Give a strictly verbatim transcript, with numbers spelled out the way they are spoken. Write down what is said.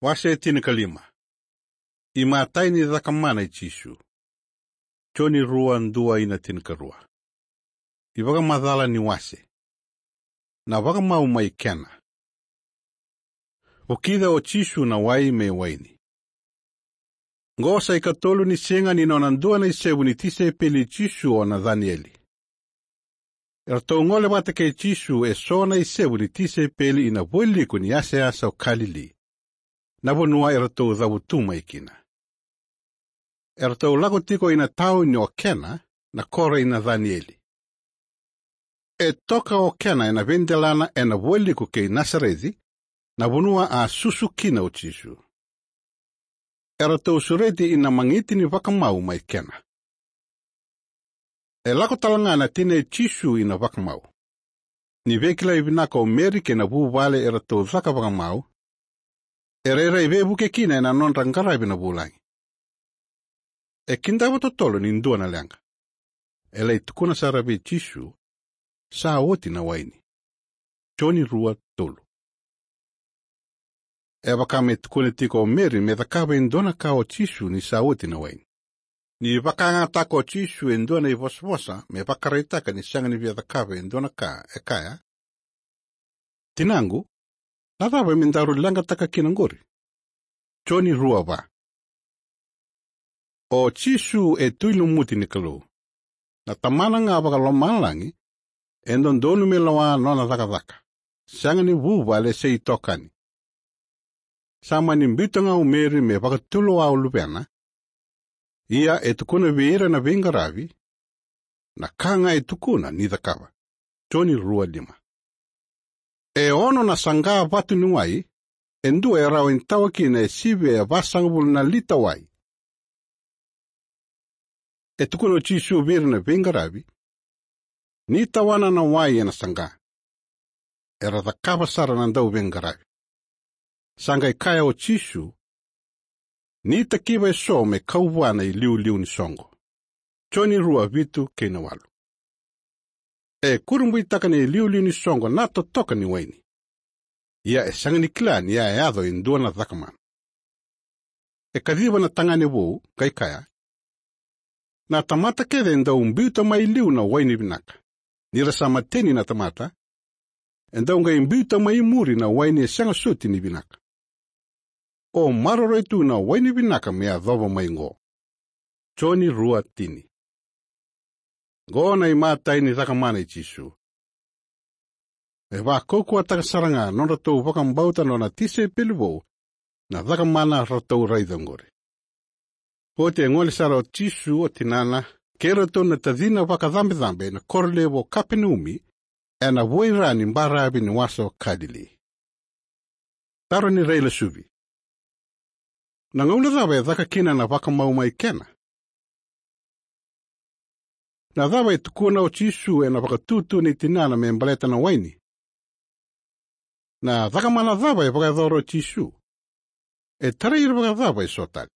Wase tinikalima. Imatai ni cakamana i Jisu. Joni rua, dua ina tinikarua. Ivakamacala ni wase. Na vakamau mai Kena. Vukica o Jisu na wai me waini. Qo sa ikatolu ni siga ni nona dua na isevu ni tisaipeli i Jisu o Nacanieli. Eratou gole vata kei Jisu eso na isevu ni tisaipeli ina vualiku ni yasayasa o Kalili, na vanua eratou cavutu mai kina. Eratou lako tiko ina tauni o Kena, na koro i Nacanieli. E toka o Kena ena veidelana ena vualiku kei Nasareci, na vanua a susu kina o Jisu. Eratou sureti ina magiti ni vakamau mai Kena. E lako tale ga na tina i Jisu ina vakamau. Ni veikilai vinaka o Meri kei na vuvale eratou caka vakamau, e rairai veivuke kina ena nodra qaravi na vulagi. E kidava totolo ni dua na leqa. E lai tukuna sara vei Jisu, sa oti na waini. Joni rua, tolu. E vaka me tukuna tiko o Meri me cakava e dua na ka o Jisu ni sa oti na waini. Ni vakayagataka o Jisu e dua na ivosavosa me vakaraitaka ni sega ni via cakava e dua na ka, e kaya: Tinaqu, na cava me daru leqataka kina qori? Joni rua, va. O Jisu e Tui lumuti ni Kalou. Na Tamana ga vakalomalagi e dodonu me lewa nona cakacaka, sega ni vuvale se itokani. Sa mani biuta ga o Meri me vakatulewa o luvena. Ia e tukuna vei ira na veiqaravi, na ka ga e tukuna ni cakava. Joni rua, lima. E ono na saqa vatu ni wai, e dua e rawa ni tawa kina e sivia e vasagavulu na lita wai. E tukuna o Jisu vei ira na veiqaravi, ni tawana na wai ena saqa. Era cakava sara na dauveiqaravi. Sa qai kaya o Jisu, ni takiva eso me kau vua na iliuliu ni soqo. Joni rua, vitu kei na walu. E kurabuitaka na iliuliu ni soqo na totoka ni waini. Ia e sega ni kila ni a yaco e dua na cakamana. E kaciva na tagane vou, qai kaya: Na tamata kece e dau biuta mai liu na waini vinaka. Ni ra sa mateni na tamata, e dau qai biuta mai muri na waini e sega soti ni vinaka. O maroroi tu na waini vinaka me yacova mai qo. Joni rua, tini. Qo na imatai ni cakamana i Jisu. E vakaukauwataka sara ga nodratou vakabauta nona tisaipeli vou na cakamana ratou raica qori. Oti e gole sara o Jisu, o tinana, kei ratou na tacina vakacabecabe ena koro levu o Kapenaumi, ena vuaira ni baravi ni wasa o Kalili. Taro ni railesuvi. Na gauna cava e caka kina na vakamau mai Kena? Na cava e tukuna o Jisu ena vakatutu ni tinana me baleta na waini? Na cakamana cava e vakayacora o Jisu? E tarai ira vakacava eso tale?